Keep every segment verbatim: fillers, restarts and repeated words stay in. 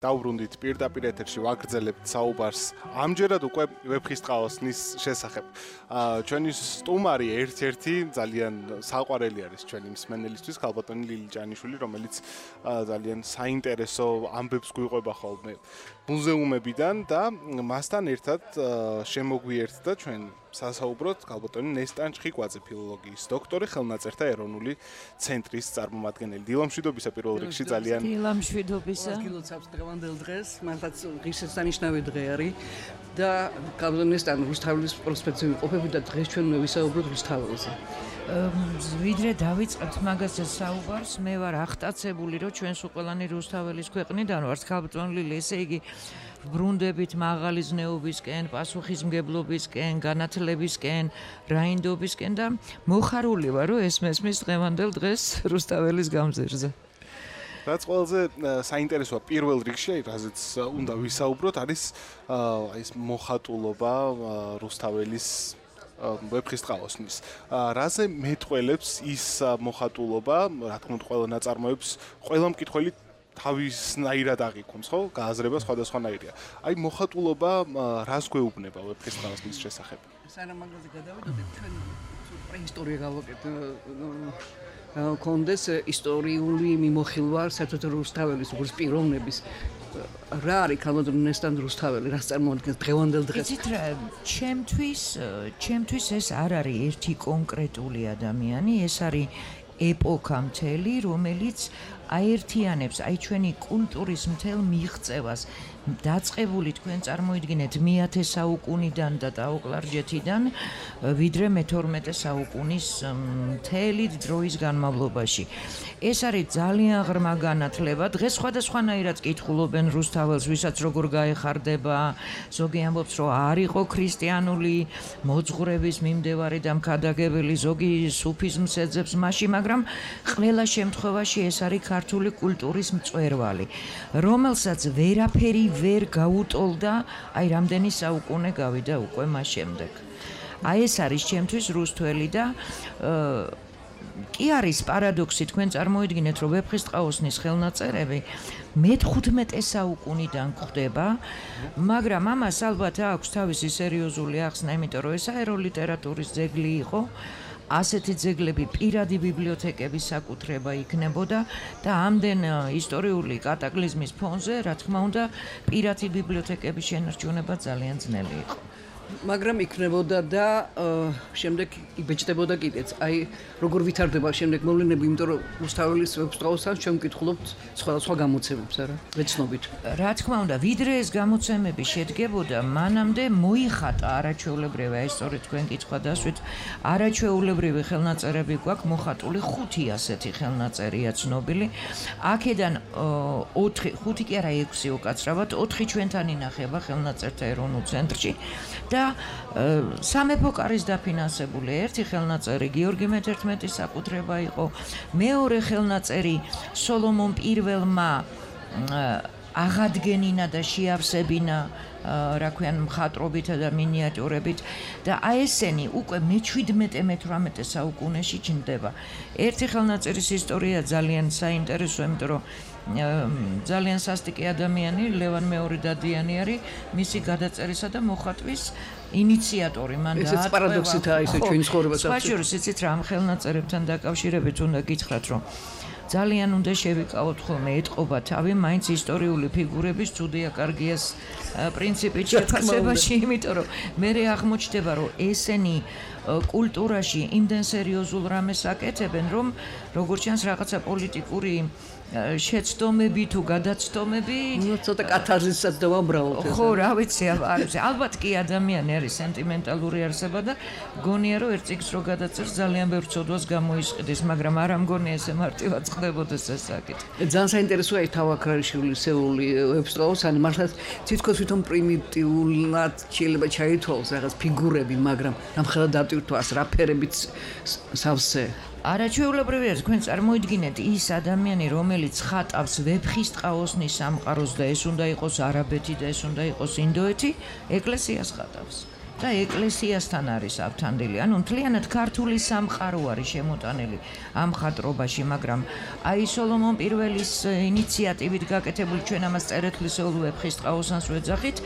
დავბრუნდით პირდაპირ ეთერში ვაგრძელებთ საუბარს ამჯერად უკვე ვეფხისტყაოსნის შესახებ. ჩვენი სტუმარი ერთ-ერთი ძალიან საყვარელი არის ჩვენი მსმენელისთვის, ქალბატონი ლილი ჭანიშვილი, რომელიც ძალიან საინტერესო ამბებს გვიყვება ხოლმე მუზეუმებიდან და მასთან ერთად შემოგვიერთდა ჩვენ სასაუბროთ ქალბატონი ნესტან ჩხიკვაძე, ფილოლოგიის დოქტორი, ხელნაწერთა ეროვნული ცენტრის წარმომადგენელი. დილამშვიდობისა პირველ რიგში ძალიან დილამშვიდობისა. გილოცავს დღევანდელ დღეს, მართლაც ღირსშესანიშნავი დღე არის და ქალბატონი ნესტან რუსთაველის პროსპექტივი ყოფები და დღეს ჩვენ ვისაუბროთ რუსთაველზე. ვიდრე დავიწყებთ მაგაზე საუბარს, მე ვარ აღტაცებული, რომ ჩვენს უყველანი რუსთაველის ქვეყნიდან ვართ, ქალბატონი ლილი, ესე იგი ბრუნდებით მაღალი ზნეობისკენ, პასუხისმგებლობისკენ, განათლებისკენ, რაინდობისკენ და მოხარული ვარ, რომ ეს მესმის დღევანდელ დღეს რუსთაველის გამზირზე. რაც ყველაზე საინტერესოა პირველ რიგში, რაზეც უნდა ვისაუბროთ, არის ეს მოხატულობა რუსთაველის ვეფხისტყაოსნის. რაზე მეტყველებს ის მოხატულობა, რა თქმა უნდა, ყველა ნაწარმოებს, ყველა მკითხველი თავისნაირად აღიქვამს, ხო? გააზრება სხვადასხვანაირია. აი მოხატულობა რას გვეუბნება ვეფხისტყაოსნის შესახებ? სანამ მაგაზე გადავიდოდეთ, ჩვენ პრეისტორია გავაკეთეთ. კონდეს ისტორიული მიმოხილვა საერთოდ რუსთაველის როგორც პიროვნების რა არის ქალბატონი ნესტან რუსთაველი, რას წარმოადგენს დღევანდელ დღეს? იცით რა, ჩემთვის, ჩემთვის ეს არ არის ერთი კონკრეტული ადამიანი, ეს არის ეპოქა მთელი, რომელიც აერთიანებს აი ჩვენი კულტურის მთელ მიღწევას. დაწყებული თქვენ წარმოიდგინეთ მეათე საუკუნიდან და დაუკლარჯეთიდან ვიდრე მეთორმეტე საუკუნის მთელი დროის განმავლობაში. ეს არის ძალიან ღრმა განათლება. დღეს სხვადასხვანაირად კითხულობენ რუსთაველს, ვისაც როგორ გაეხარდება, ზოგი ამბობს, რომ არ იყო ქრისტიანული მოძღვრების მიმდევარი და მქადაგებელი, ზოგი სუფიზმს ეძებს მასში, მაგრამ ყველა შემთხვევაში ეს არის ქართული კულტურის მწვერვალი, რომელსაც ვერაფერი ვერ გაუტოლდა, აი რამდენი საუკუნე გავიდა უკვე მას შემდეგ. აი ეს არის ჩემთვის რუსთველი და კი არის პარადოქსი, თქვენ წარმოიდგინეთ, რომ ვეფხისტყაოსნის ხელნაწერები მეთხუთმეტე საუკუნიდან გვხვდება, მაგრამ ამას ალბათ აქვს თავისი სერიოზული ახსნა, იმიტომ რომ ეს აეროლიტერატურის ძეგლი იყო. ასეთი ძეგლები პირადი ბიბლიოთეკების საკუთრება იქნებოდა და ამდენ ისტორიული კატაკლიზმის ფონზე, რა თქმა უნდა, პირადი ბიბლიოთეკების შენარჩუნება ძალიან ძნელი იყო. მაგრამ იქნებოდა და შემდეგ იბეჭდებოდა კიდეც. აი, როგორ ვითარდება შემდეგ მოვლენები, იმიტომ რომ რუსთაველის ვეფხისტყაოსთან ჩვენ ვკითხულობთ სხვადასხვა გამოცემებს, არა? ვეცნობით. რა თქმა უნდა, ვიდრე ეს გამოცემები შედგებოდა, მანამდე მოიხატა არაჩვეულებრივი, აი სწორედ თქვენ კითხვა დასვით, არაჩვეულებრივი ხელნაწერები გვაქვს მოხატული, ხუთი ასეთი ხელნაწერია ცნობილი. აქედან ოთხი, ხუთი კი არა, ექვსი უკაცრავად, ოთხი ჩვენთან ინახება ხელნაწერთა ეროვნულ ცენტრში. და სამეფო კარის დაფინანსებული ერთი ხელნაწერი გიორგი მეთერთმეტის საკუთრება იყო, მეორე ხელნაწერი სოლომონ პირველმა აღადგენინა და შეავსებინა, რა ქვიან, მხატვრობითა და მინიატიურებით და აი ესენი უკვე მეჩვიდმეტე მეთვრამეტე საუკუნეში ჩნდება. ერთი ხელნაწერის ისტორია ძალიან საინტერესოა, იმიტომ რომ ძალიან სასტიკი ადამიანი, ლევან მეორე დადიანი არის მისი გადაწერისა და მოხატვის ინიციატორი. მან დაატყვევა. ეს პარადოქსითაა ისე ჩვენი ცხოვრებაში. სხვა შორის იცით რა, ამ ხელნაწერებთან დაკავშირებით უნდა გითხრათ, რომ ძალიან უნდა შევიკავოთ ხოლმე ეტყობა თავი მაინც ისტორიული ფიგურების ცუდია კარგიას პრინციპით შეფასებაში, იმიტომ რომ მე აღმოჩნდება, რომ ესენი კულტურაში იმდენ სერიოზულ რამეს აკეთებენ, რომ როგორც ჩანს რაღაცა პოლიტიკური შეცდომები თუ გადაცდომები, ნუ ცოტა კათარზისაც დავამბრალოთ. ხო, რა ვიცი, არის. ალბათ კი ადამიანი არის სენტიმენტალური არსება და გონია რომ ერთ წიგნს რო გადაწერს ძალიან ბევრ ცოდვას გამოისყიდის, მაგრამ არ ამგონია ესე მარტივად ხდებოდეს ეს საკითხი. ძალიან საინტერესოა ეს თავაქარიშვილის სეული ვეფხისტყაოსანი, მართლაც თითქოს თვითონ პრიმიტიულად შეიძლება ჩაითვალოს რაღაც ფიგურები, მაგრამ რამხელა დატვირთვას, რა ფერებით სავსე. არაჩვეულებრივი არის, თქვენ წარმოიდგინეთ ის ადამიანი, რომელიც ხატავს ვეფხისტყაოსნის სამყაროს და ეს უნდა იყოს არაბეთი და ეს უნდა იყოს ინდოეთი, ეკლესიას ხატავს. და ეკლესიასთან არის ავთანდილი. ანუ მთლიანად ქართული სამყარო არის შემოტანილი ამ ხატრობაში, მაგრამ აი სოლომონ პირველის ინიციატივით გაკეთებული ჩვენ ამას წერეთლისეულ ვეფხისტყაოსანს ვეძახით.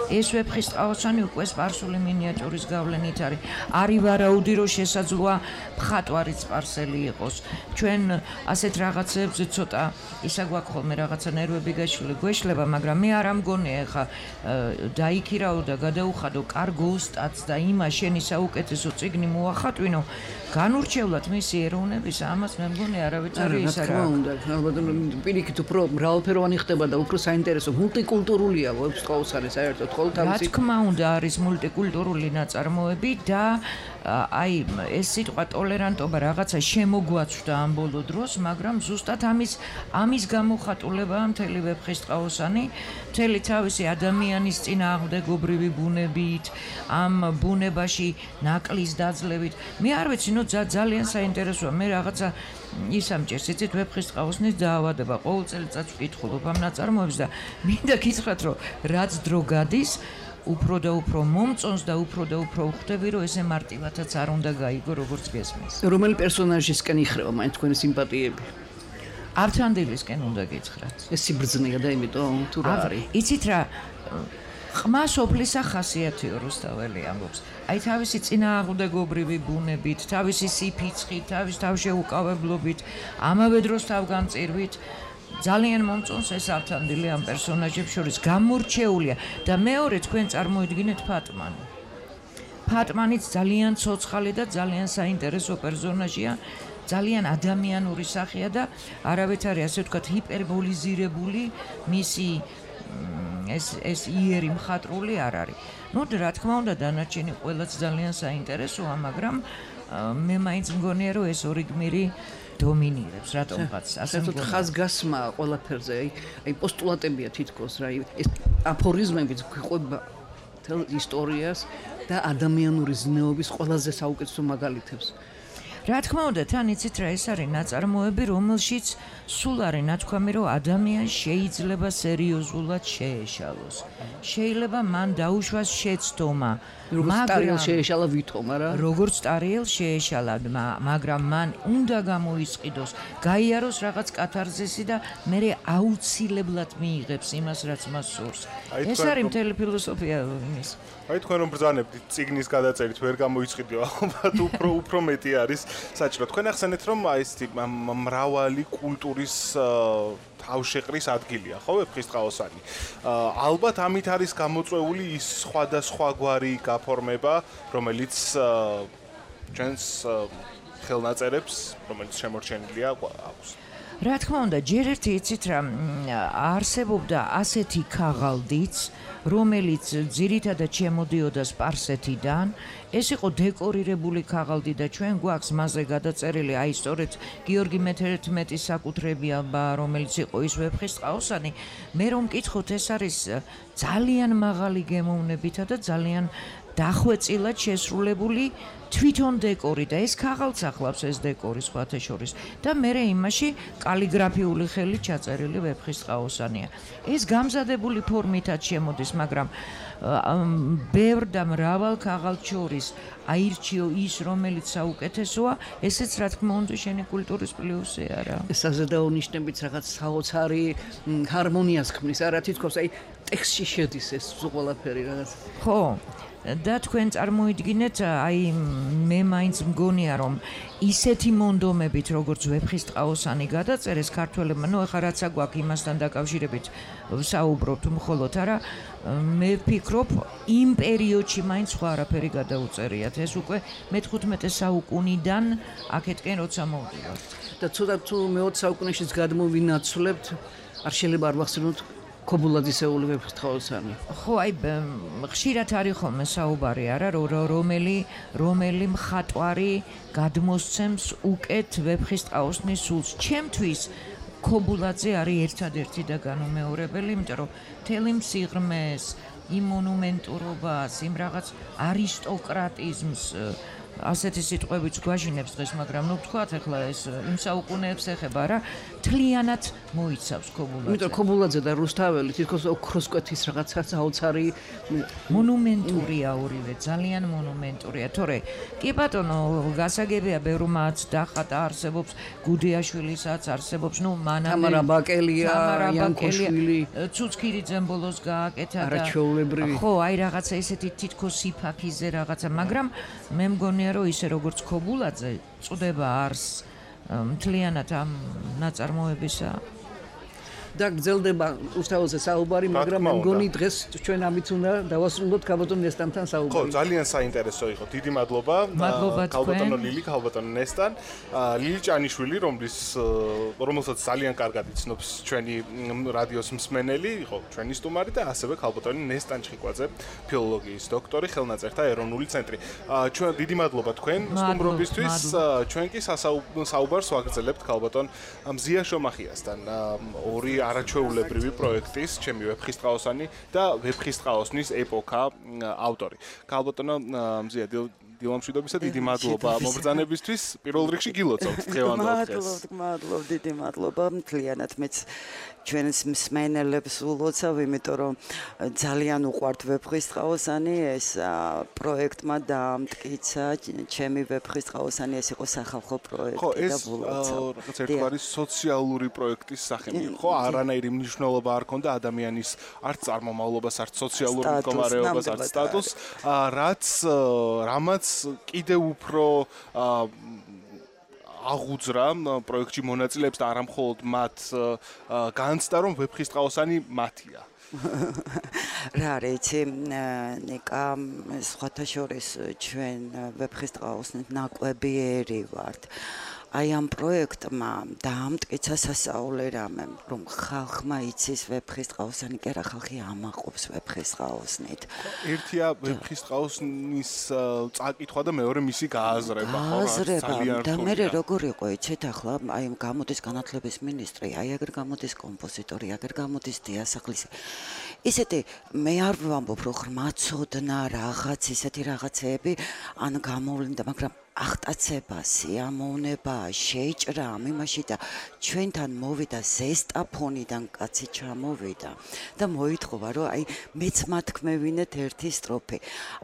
ეს ვეფხისტყაოსანი უკვე სპარსული მინიატურის გავლენით არის. არის ვარაუდი, რომ შესაძლოა მხატვარი სპარსელი იყოს. ჩვენ ასეთ რაღაცებზე ცოტა ისა გვაქვს ხოლმე რაღაცა ნერვები გვეშლება, მაგრამ მე არ ამგონია ხა დაიქირაო და გადაუხადო კარგ ოსტატს და იმა შენი საუკეთესო წიგნი მოახატვინო, განურჩევლად მისი ეროვნების, ამას მე მგონი არავის არ ის არა. რა თქმა უნდა, ალბათ პირიქით უფრო მრავალფეროვანი ხდება და უფრო საინტერესო მულტიკულტურულია ვეფხისტყაოსანი საერთოდ ხოლმე თავისი. რა თქმა უნდა არის მულტიკულტურული ნაწარმოები და აი ეს სიტყვა ტოლერანტობა რაღაცა შემოგვაცვდა ამ ბოლო დროს, მაგრამ ზუსტად ამის ამის გამოხატულებაა მთელი ვეფხისტყაოსანი, მთელი თავისი ადამიანის წინააღმდეგობრივი ბუნებით, ამ ბუნებაში ნაკლის დაძლევით. მე არ ვიცი, ნუ ძალიან საინტერესოა. მე რაღაცა ის ამჭერს, იცით, ვეფხისტყაოსნის დაავადება. ყოველ წელიწადს ვკითხულობ ამ ნაწარმოებს და მინდა გითხრათ, რომ რაც დრო გადის, უფრო და უფრო მომწონს და უფრო და უფრო ვხვდები, რომ ესე მარტივადაც არ უნდა გაიგო, როგორც გესმის. რომელი პერსონაჟისკენ იხრება მაინც თქვენი სიმპათიები? ავთანდილისკენ უნდა გითხრათ. ეს სიბრძნეა და იმიტომ თუ რა არის? იცით რა, ყმა სოფლისა ხასიათიო რუსთაველი ამბობს. აი თავისი წინააღმდეგობრივი ბუნებით, თავისი სიფიცხით, თავის თავშეუკავებლობით, ამავე დროს თავგანწირვით ძალიან მომწონს ეს ავთანდილი ამ პერსონაჟებს შორის გამორჩეულია და მეორე თქვენ წარმოიდგინეთ ფატმანი. ფატმანიც ძალიან ცოცხალი და ძალიან საინტერესო პერსონაჟია, ძალიან ადამიანური სახეა და არავითარი ასე ვთქვათ ჰიპერბოლიზირებული მისი ეს ეს იერი მხატვრული არ არის. ნუ რა თქმა უნდა დანარჩენი ყველაც ძალიან საინტერესოა, მაგრამ მე მაინც მგონია რომ ეს ორი გმირი დომინირებს რატომღაც ასე მგონია. ხაზგასმა ყველაფერზე, აი აი პოსტულატებია თითქოს რა, ეს აფორიზმებიც გვიყვება თელ ისტორიას და ადამიანური ზნეობის ყველაზე საუკეთესო მაგალითებს. რა თქმა უნდა, თან იცით რა, ეს არის ნაწარმოები, რომელშიც სულ არის ნათქვამი, რომ ადამიანს შეიძლება სერიოზულად შეეშალოს. შეიძლება მან დაუშვას შეცდომა, მაგრამ შეეშალა ვითომ არა? როგორც ტარიელ შეეშალა, მაგრამ მან უნდა გამოისყიდოს, გაიაროს რაღაც კათარზისი და მერე აუცილებლად მიიღებს იმას, რაც მას სურს. ეს არის მთელი ფილოსოფია იმის. აი თქვენ რომ ბრძანებთ წიგნის გადაწერით ვერ გამოიწყიდიო, ალბათ უფრო უფრო მეტი არის საჭირო. თქვენ ახსენეთ რომ აი ეს მრავალი კულტურის თავშეყრის ადგილია, ხო, ვეფხისტყაოსანი. ალბათ ამით არის გამოწვეული ის სხვადასხვაგვარი გაფორმება, რომელიც ჩვენს ხელნაწერებს, რომელიც შემორჩენილია აქვს. რა თქმა უნდა, ჯერ ერთი იცით რა, არსებობდა ასეთი ქაღალდიც, რომელიც ძირითადად შემოდიოდა სპარსეთიდან. ეს იყო დეკორირებული ქაღალდი და ჩვენ გვაქვს მასზე გადაწერილი აი სწორედ გიორგი მეთერთმეტის საკუთრებია, რომელიც იყო ის ვეფხისტყაოსანი. მე რომ მკითხოთ, ეს არის ძალიან მაღალი გემოვნებითა და ძალიან დახვეწილად შესრულებული თვითონ დეკორი და ეს ქაღალდს ახლავს ეს დეკორი სხვათა შორის და მერე იმაში კალიგრაფიული ხელით ჩაწერილი ვეფხისტყაოსანია. ეს გამზადებული ფორმითაც შემოდის, მაგრამ ბევრ და მრავალ ქაღალდს შორის აირჩიო ის, რომელიც საუკეთესოა, ესეც რა თქმა უნდა შენი კულტურის პლუსი არა. საზედაონიშნებით რაღაც საოცარი ჰარმონიას ქმნის, არა თითქოს აი ტექსტში შედის ეს ყველაფერი რაღაც. ხო, და თქვენ წარმოიდგინეთ, აი მე მაინც მგონია რომ ისეთი მონდომებით როგორც ვეფხისტყაოსანი გადაწერეს ქართველებმა, ნუ ახლა რაცა გვაქვს იმასთან დაკავშირებით საუბრობთ მხოლოდ, არა, მე ვფიქრობ იმ პერიოდში მაინც სხვა არაფერი გადაუწერიათ. ეს უკვე მეთხუთმეტე საუკუნიდან აქეთკენ როცა მოვდივართ. და ცოტა თუ მეოცე საუკუნეშიც გადმოვინაცვლებთ, არ შეიძლება არ ვახსენოთ ქობულაძისეული ვეფხისტყაოსანი. ხო, აი ხშირად არის ხოლმე საუბარი, არა, რომელი რომელი მხატვარი გადმოსცემს უკეთ ვეფხისტყაოსნის სულს. ჩემთვის ქობულაძე არის ერთადერთი და განუმეორებელი, იმიტომ რომ მთელი მსიღრმეს, იმ მონუმენტურობას, იმ რაღაც არისტოკრატიზმს ასეთი სიტყვებიც გვაჟინებს დღეს, მაგრამ ნუ ვთქვათ ახლა ეს იმ საუკუნეებს ეხება რა, თლიანად მოიცავს ქობულაძე. იმიტომ ქობულაძე და რუსთაველი თითქოს ოქროსკვეთის რაღაცა საოცარი მონუმენტურია ორივე, ძალიან მონუმენტურია. თორე კი ბატონო, გასაგებია ბევრმაც დახატა არსებობს გუდიაშვილისაც არსებობს, ნუ მანამდე თამარა ბაკელია, იანკოშვილი, ცუცქირიძემ ბოლოს გააკეთა და არაჩვეულებრივი. ხო, აი რაღაცა ესეთი თითქოს სიფაქიზე რაღაცა, მაგრამ მე მგონია რომ ისე როგორც ქობულაძე წდება არს მთლიანად ამ ნაწარმოებისა და გრძელდება უსთავოზე საუბარი, მაგრამ მე მგონი დღეს ჩვენ ამით უნდა დავასრულოთ ქალბატონ ნესტანთან საუბარი. ხო, ძალიან საინტერესო იყო. დიდი მადლობა. ქალბატონო ლილი, ქალბატონო ნესტან, ლილი ჭანიშვილი, რომლის რომელსაც ძალიან კარგად იცნობს ჩვენი რადიოს მსმენელი, იყო ჩვენი სტუმარი და ასევე ქალბატონი ნესტან ჩხიკვაძე, ფილოლოგიის დოქტორი, ხელნაწერთა ეროვნული ცენტრი. ჩვენ დიდი მადლობა თქვენ სტუმრობისთვის. ჩვენ კი საუბარს ვაგრძელებთ ქალბატონ მზია შომახიასთან. ორი არაჩვეულებრივი პროექტის ჩემი ვეფხისტყაოსანი და ვეფხისტყაოსნის ეპოქა ავტორი. ქალბატონო მზია დილამშვიდობისა დიდი მადლობა მობრძანებისთვის. პირველ რიგში გილოცავთ დღევანდელ დღეს. მადლობთ, მადლობთ, დიდი მადლობა. მთლიანად მეც ჩვენს მსმენელებს ულოცავ, იმიტომ რომ ძალიან უყვართ ვეფხისტყაოსანი, ეს პროექტმა დაამტკიცა ჩემი ვეფხისტყაოსანი, ეს იყო სახალხო პროექტი და ულოცავ. ხო, ეს რაღაც ერთგვარი სოციალური პროექტის სახე იყო, ხო, არანაირი მნიშვნელობა არ ჰქონდა ადამიანის არც წარმომავლობას, არც სოციალურ მდგომარეობას, არც სტატუსს, რაც რამაც კიდევ უფრო აღუძრა პროექტში მონაწილეებს და არამხოლოდ მათ განცდა რომ ვეფხისტყაოსანი მათია. რა რეცი ნიკა სხვათა შორის ჩვენ ვეფხისტყაოსნით ნაკვებიერი ვართ. აი ამ პროექტმა დაამტკიცა სასაულე რამე, რომ ხალხმა იცის ვეფხისტყაოსანი, კი არა ხალხი ამაყობს ვეფხისტყაოსნით. ერთია ვეფხისტყაოსნის წაკითხვა და მეორე მისი გააზრება, ხო, ძალიან რთულია. და მე როგორ იყო, იცით ახლა, აი გამოდის განათლების მინისტრი, აი აგერ გამოდის კომპოზიტორი, აგერ გამოდის დიასახლისი. ისეთი მე არ ვამბობ, რომ ღრმაცოდნა რაღაც ისეთი რაღაცეები ან გამოვლინდა, მაგრამ აღტაცება, სიამოვნება, შეჭრა ამ იმაში და ჩვენთან მოვიდა ზესტაფონიდან კაცი ჩამოვიდა და მოითხოვა რომ აი მეც მათქმევინეთ ერთი სტროფი.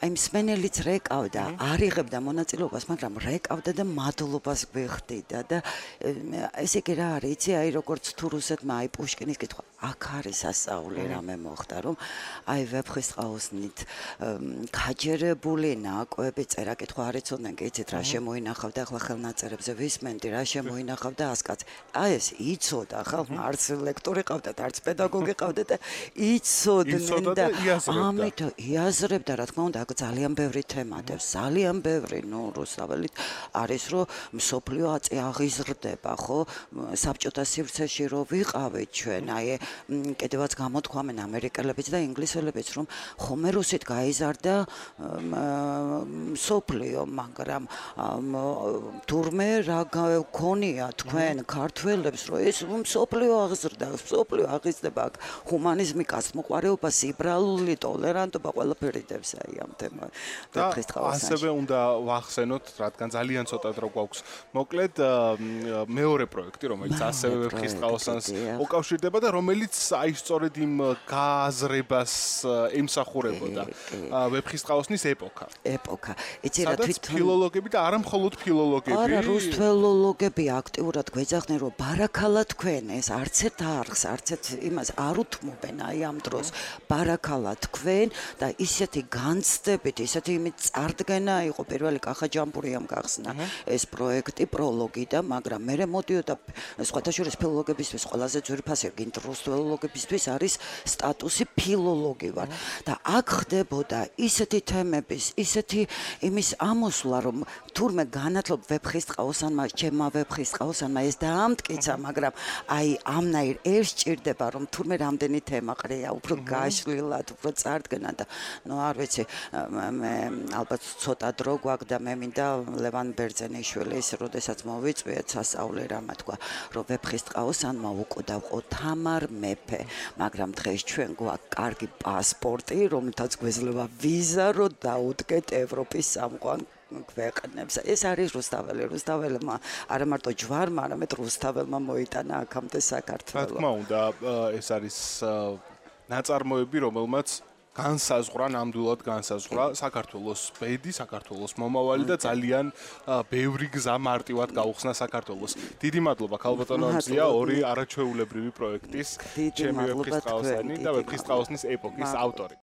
აი მსმენელიც რეკავდა, არ იღებდა მონაწილეობას, მაგრამ რეკავდა და მადლობას გვიხდიდა და ესე იგი რა არის, იცი, აი როგორც თუ რუსეთმა აი პუშკინის კითხვა, აქ არის სასწაული რამე მოხდა, რომ აი ვეფხისტყაოსნით გაჯერებული ნაკვები წერა კითხვა არ იცოდნენ, კი იცით რა შემოინახავდა ახლა ხელნაწერებზე ვისმენდი რა შემოინახავდა ასკაც. აი ეს იცოდა ხალხმა, არც ლექტორი ყავდათ, არც პედაგოგი ყავდათ და იცოდნენ და ამით იაზრებდა, რა თქმა უნდა, აქ ძალიან ბევრი თემატებს, ძალიან ბევრი, ნუ რუსთაველით არის რომ მსოფლიო აწი აღიზრდება, ხო? საბჭოთა სივრცეში რო ვიყავით ჩვენ, აი კიდევაც გამოთქვამენ ამერიკელებიც და ინგლისელებიც, რომ ხომე რუსით გაიზარდა მსოფლიო, მაგრამ თურმე რა გქონია თქვენ ქართველებს, რომ ეს მსოფლიო აღზრდა, მსოფლიო აღიზრდება, ჰუმანიზმი, კაცმოყვარეობა, სიბრალული, ტოლერანტობა, ყველაფერი დებს აი ამ თემას. და ასევე უნდა ვახსენოთ, რადგან ძალიან ცოტა დრო გვაქვს. მოკლედ მეორე პროექტი, რომელიც ასევე ვეფხისტყაოსანს უკავშირდება და რომელიც აი სწორედ იმ გააზრებას ემსახურებოდა. ვეფხისტყაოსნის ეპოქა. ეპოქა. იცი რა თვითონ ფილოლოგები და არა მხოლოდ ფილოლოგები. არა, რუსთველოლოგები აქტიურად გვეძახდნენ, რომ ბარაქალა თქვენ ეს არც ერთ არხს, არც ერთ იმას არ უთმობენ აი ამ დროს. ბარაქალა თქვენ და ისეთი განცდებით, ისეთი იმით წარდგენა იყო პირველი კახაჯამბურიამ გახსნა ეს პროექტი, პროლოგი და მაგრამ მე მოდიოდა სხვათა შორის ფილოლოგებისთვის ყველაზე ძვირფასი, გინდ რუსთველოლოგებისთვის არის სტატუსი ფილოლოგი ვარ და აქ ხდებოდა ისეთი თემების, ისეთი იმის ამოსვლა, რომ თურმე განათლებ ვეფხისტყაოსანმა, ჩემმა ვეფხისტყაოსანმა ეს დაამტკიცა, მაგრამ აი ამნაირ ეს სჭირდება, რომ თურმე რამდენი თემა ყრია, უფრო გაშლილად, უფრო წარდგენა და ნუ არ ვიცი, მე ალბათ ცოტა დრო გვაქვს და მე მინდა ლევან ბერძენიშვილის, როდესაც მოვიწვიეთ სასწაული რამა თქვა, რომ ვეფხისტყაოსანმა უკვდავყო თამარ მეფე, მაგრამ დღეს ჩვენ გვაქვს კარგი პასპორტი, რომელთაც გვეძლება ვიზა, რომ დაუდგეთ ევროპის სამყარო ქვეყნებს. ეს არის რუსთაველი. რუსთაველმა არა მარტო ჯვარმა, არამედ რუსთაველმა მოიტანა აქამდე რა საქართველო. თქმა უნდა, ეს არის ნაწარმოები, რომელმაც განსაზღვრა, ნამდვილად განსაზღვრა საქართველოს ბედი, საქართველოს მომავალი და ძალიან ბევრი გზა მარტივად გაუხსნა საქართველოს. დიდი მადლობა ქალბატონო მზია, ორი არაჩვეულებრივი პროექტის, ჩემი ვეფხისტყაოსანი და ვეფხისტყაოსნის ეპოქის ავტორი.